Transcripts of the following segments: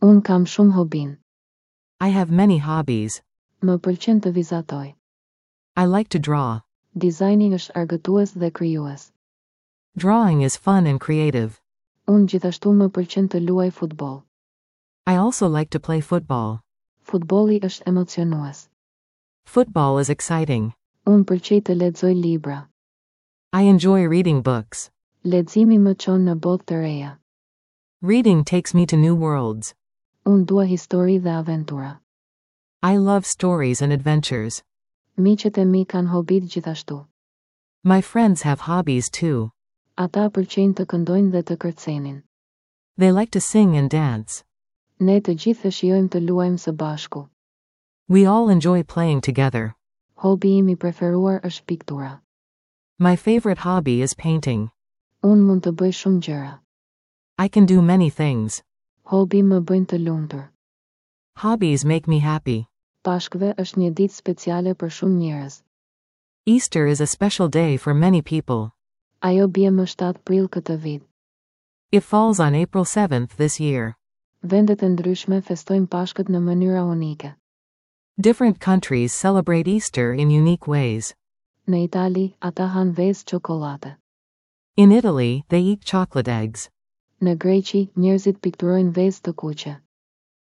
Unë kam shumë hobin. I have many hobbies. Më pëlqen të vizatoj. I like to draw. Dizajni është argëtues dhe krijues. Drawing is fun and creative. Unë gjithashtu më pëlqen të luaj futboll. I also like to play football. Futbolli është emocionues. Football is exciting. Unë pëlqej të lexoj libra. I enjoy reading books. Leximi më çon në botë të reja. Reading takes me to new worlds. Unë dua histori dhe aventura. I love stories and adventures. Miqët e mi kanë hobit gjithashtu. My friends have hobbies too. Ata pëlqejnë të këndojnë dhe të kërcenin. They like to sing and dance. Ne të gjithë e shijojmë të luajmë së bashku. We all enjoy playing together. Hobi im i preferuar është piktura. My favorite hobby is painting. Unë mund të bëj shumë gjëra. I can do many things. Hobi më bëjnë të lumtur. Hobbies make me happy. Pashkëve është një ditë speciale për shumë njerëz. Easter is a special day for many people. Ajo bie më 7 prill këtë vit. It falls on April 7th this year. Vendet e ndryshme festojnë Pashkët në mënyra unike. Different countries celebrate Easter in unique ways. Në Itali, ata hanë vezë çokollate. In Italy, they eat chocolate eggs. Në Greqi, njerëzit pikturojnë vezë të kuqe.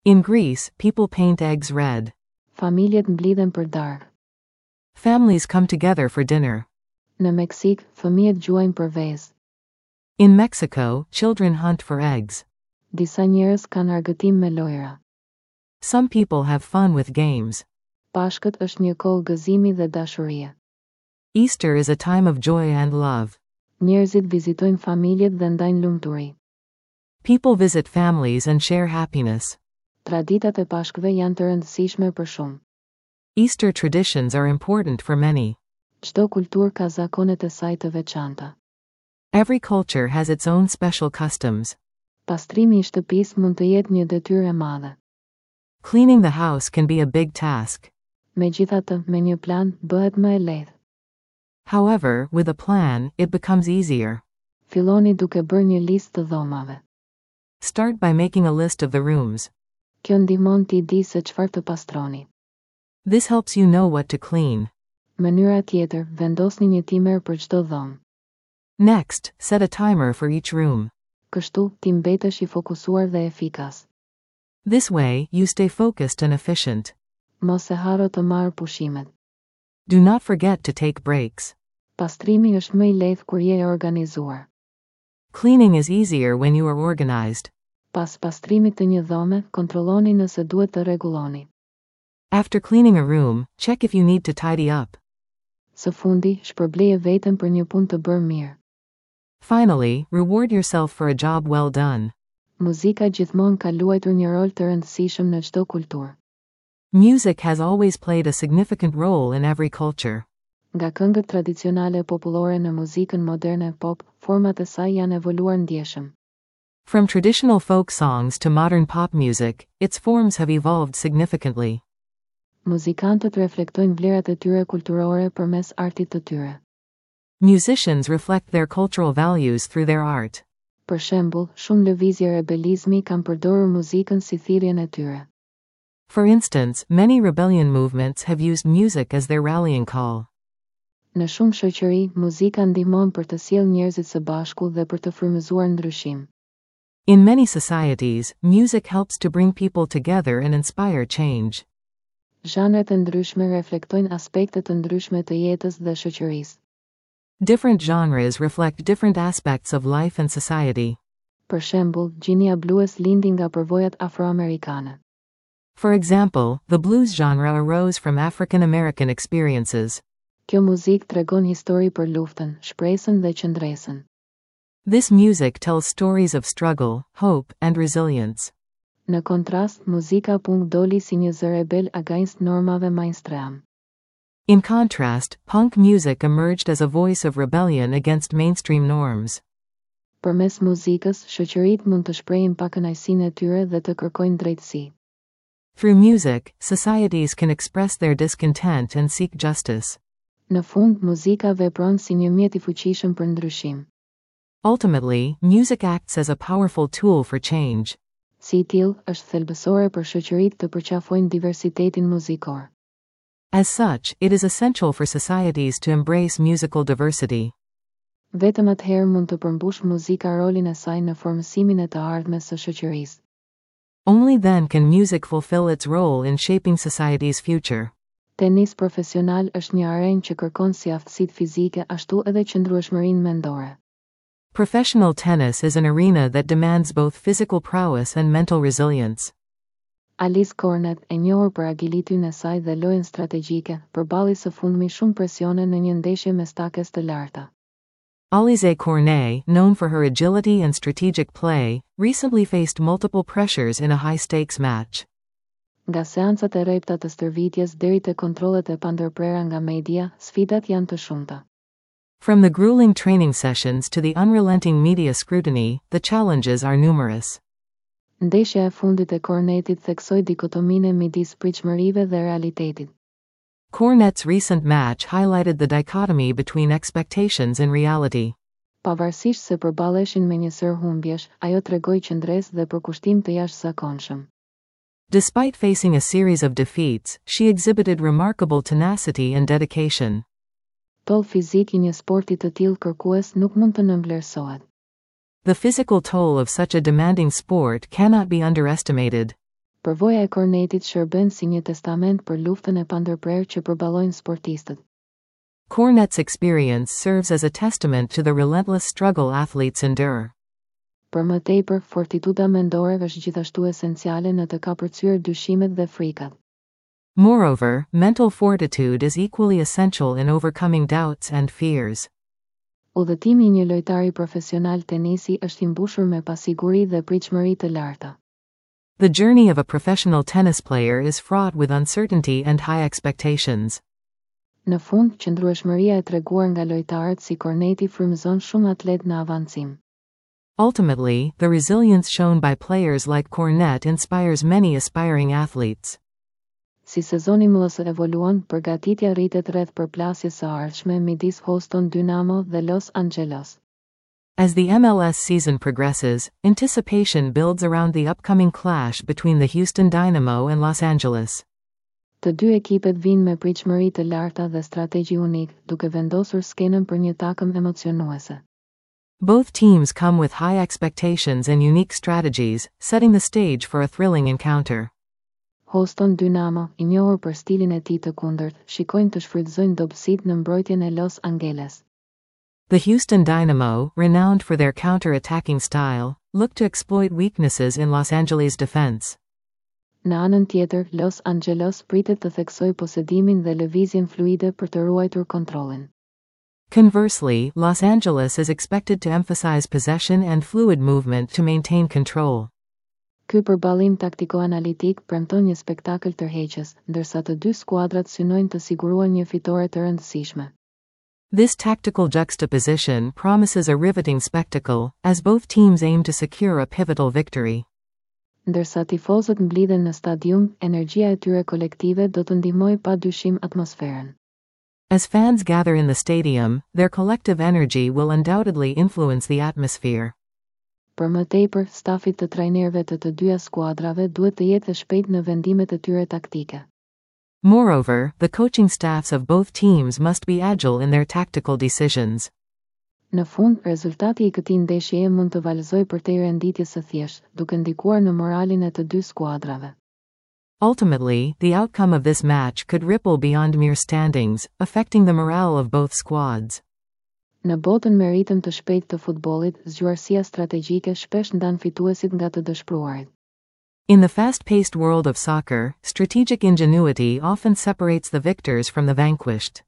In Greece, people paint eggs red. Familjet mblidhen për darkë. Families come together for dinner. Në Meksik, fëmijët gjuajnë për vezë. In Mexico, children hunt for eggs. Disa njerëz kanë argëtim me lojra. Some people have fun with games. Pashkët është një kohë gëzimi dhe dashurie. Easter is a time of joy and love. Njerëzit vizitojnë familjet dhe ndajnë lumturi. People visit families and share happiness. Traditat e Pashkëve janë të rëndësishme për shumë. Easter traditions are important for many. Çdo kulturë ka zakonet e saj të veçanta. Every culture has its own special customs. Pastrimi i shtëpisë mund të jetë një detyrë e madhe. Cleaning the house can be a big task. Megjithatë, me një plan, bëhet më e lehtë. However, with a plan, it becomes easier. Filloni duke bërë një listë të dhomave. Start by making a list of the rooms. Kjo ndihmon ti di se çfarë të pastroni. This helps you know what to clean. Mënyra tjetër, vendosni një timer për çdo dhomë. Next, set a timer for each room. Kështu, ti mbetesh i fokusuar dhe efikas. This way, you stay focused and efficient. Mos e harro të marrë pushimet. Do not forget to take breaks. Pastrimi është më i lehtë kur je e organizuar. Cleaning is easier when you are organized. Pas pastrimit të një dhome, kontrolloni nëse duhet të rregulloni. After cleaning a room, check if you need to tidy up. Së fundi, shpërbleje veten për një punë të bërë mirë. Finally, reward yourself for a job well done. Muzika gjithmonë ka luajtur një rol të rëndësishëm në çdo kulturë. Music has always played a significant role in every culture. Nga këngët tradicionale popullore në muzikën moderne pop, format e saj janë evoluar ndjeshëm. From traditional folk songs to modern pop music, its forms have evolved significantly. Muzikantët reflektojnë vlerat e tyre kulturore përmes artit të tyre. Musicians reflect their cultural values through their art. Për shembull, shumë lëvizje rebelizmi kanë përdorur muzikën si thirrjen e tyre. For instance, many rebellion movements have used music as their rallying call. Në shumë shoqëri, muzika ndihmon për të sjellë njerëzit së bashku dhe për të frymëzuar ndryshim. In many societies, music helps to bring people together and inspire change. Zhanret e ndryshme reflektojnë aspekte të ndryshme të jetës dhe shoqërisë. Different genres reflect different aspects of life and society. Për shembull, gjinia blues lindi nga përvojat afroamerikane. For example, the blues genre arose from African American experiences. Kjo muzikë tregon histori për luftën, shpresën dhe qëndresën. This music tells stories of struggle, hope, and resilience. Në kontrast, muzika punk doli si një zë rebel against normave mainstream. In contrast, punk music emerged as a voice of rebellion against mainstream norms. Përmes muzikës, shoqëritë mund të shprehin pakënaqësinë e tyre dhe të kërkojnë drejtësi. Through music, societies can express their discontent and seek justice. Në fund, muzika vepron si një mjet i fuqishëm për ndryshim. Ultimately, music acts as a powerful tool for change. Si i tillë, është thelbësore për shoqëritë të përqafojnë diversitetin muzikor. As such, it is essential for societies to embrace musical diversity. Vetëm atëherë mund të përmbushë muzika rolin e saj në formësimin e të ardhmes së shoqërisë. Only then can music fulfill its role in shaping society's future. Tenis profesional është një arenë që kërkon si aftësitë fizike ashtu edhe qëndrueshmërinë mendore. Professional tennis is an arena that demands both physical prowess and mental resilience. Alize Cornet, e njohur për agilityn e saj dhe lojën strategjike, përballi së fundmi shumë presione në një ndeshje me stakes të larta. Alize Cornet, known for her agility and strategic play, recently faced multiple pressures in a high-stakes match. Nga seancat e rrepta të stërvitjes deri te kontrollet e pandërprera nga media, sfidat janë të shumta. From the grueling training sessions to the unrelenting media scrutiny, the challenges are numerous. Ndeshja e fundit e Cornetit theksoi dikotominë midis pritshmërive dhe realitetit. Cornet's recent match highlighted the dichotomy between expectations and reality. Pavarësisht se përballeshin me një sërë humbjesh, ajo tregoi qëndresë dhe përkushtim të jashtëzakonshëm. Despite facing a series of defeats, she exhibited remarkable tenacity and dedication. Tolli fizik i një sporti të tillë kërkues nuk mund të nënvlerësohet. The physical toll of such a demanding sport cannot be underestimated. Përvoja e Cornetit shërben si një testament për luftën e pandërprerë që përballojnë sportistët. Cornet's experience serves as a testament to the relentless struggle athletes endure. Për më tepër, fortituda mendore është gjithashtu esenciale në të kapërcyer dyshimet dhe frikat. Moreover, mental fortitude is equally essential in overcoming doubts and fears. Udhëtimi i një lojtari profesional tenisi është i mbushur me pasiguri dhe pritshmëri të larta. The journey of a professional tennis player is fraught with uncertainty and high expectations. Në fund, qëndrueshmëria e treguar nga lojtarët si Corneti frymëzon shumë atlet në avancim. Ultimately, the resilience shown by players like Cornet inspires many aspiring athletes. Si sezoni MLS evoluon, përgatitja rritet rreth përplasjes së ardhshme midis Houston Dynamo dhe Los Angeles. As the MLS season progresses, anticipation builds around the upcoming clash between the Houston Dynamo and Los Angeles. Të dy ekipet vinë me pritshmëri të larta dhe strategji unik, duke vendosur skenën për një takëm emocionuese. Both teams come with high expectations and unique strategies, setting the stage for a thrilling encounter. Houston Dynamo, i njohur për stilin e tij të kundërt, shikojnë të shfrytëzojnë dobësitë në mbrojtjen e Los Angeles. The Houston Dynamo, renowned for their counter-attacking style, look to exploit weaknesses in Los Angeles defense. Në anën tjetër, Los Angeles pritet të theksojë posedimin dhe lëvizjen fluide për të ruajtur kontrollin. Conversely, Los Angeles is expected to emphasize possession and fluid movement to maintain control. Ky përballim taktiko-analitik premton një spektakël tërheqës, ndërsa të dy skuadrat synojnë të siguruan një fitore të rëndësishme. This tactical juxtaposition promises a riveting spectacle, as both teams aim to secure a pivotal victory. Ndërsa tifozët mblidhen në stadium, energjia e tyre kolektive do të ndihmojë pa dyshim atmosferën. As fans gather in the stadium, their collective energy will undoubtedly influence the atmosphere. Për më tepër, stafit të trajnerëve të të dyja skuadrave duhet të jetë e shpejt në vendimet e tyre taktike. Moreover, the coaching staffs of both teams must be agile in their tactical decisions. Në fund, rezultati i këtij ndeshjeje mund të valëzojë përtej renditjes së thjeshtë, duke ndikuar në moralin e të dy skuadrave. Ultimately, the outcome of this match could ripple beyond mere standings, affecting the morale of both squads. Në botën me ritëm të shpejtë të futbollit, zgjuarsia strategjike shpesh ndan fituesit nga të dëshpëruarit. In the fast-paced world of soccer, strategic ingenuity often separates the victors from the vanquished.